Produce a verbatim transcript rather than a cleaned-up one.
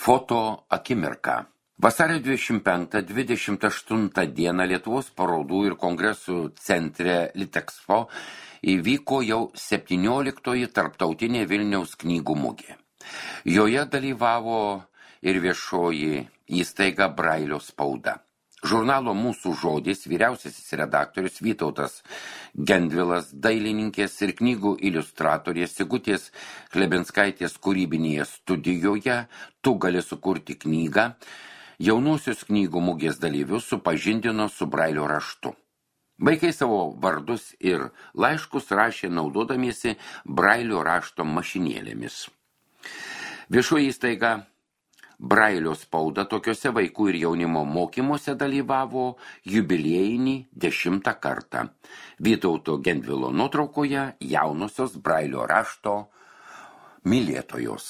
Foto akimirka. Vasario dvidešimt penktą dvidešimt aštuntą dieną Lietuvos parodų ir kongresų centre Litexpo įvyko jau septynioliktoji tarptautinė Vilniaus knygų mugė. Joje dalyvavo ir viešoji įstaiga Brailio spauda. Žurnalo Mūsų žodis vyriausiasis redaktorius Vytautas Gendvilas, dailininkės ir knygų iliustratorės Sigutės Klebinskaitės kūrybinėje studijoje Tu gali sukurti knygą jaunuosius knygų mugės dalyvius supažindino su Brailio raštu. Vaikai savo vardus ir laiškus rašė naudodamiesi Brailio rašto mašinėlėmis. Viešoji įstaiga Brailio spauda tokiuose vaikų ir jaunimo mokymuose dalyvavo jubiliejinį dešimtą kartą. Vytauto Gendvilo nuotraukoje jaunosios Brailio rašto mylėtojos.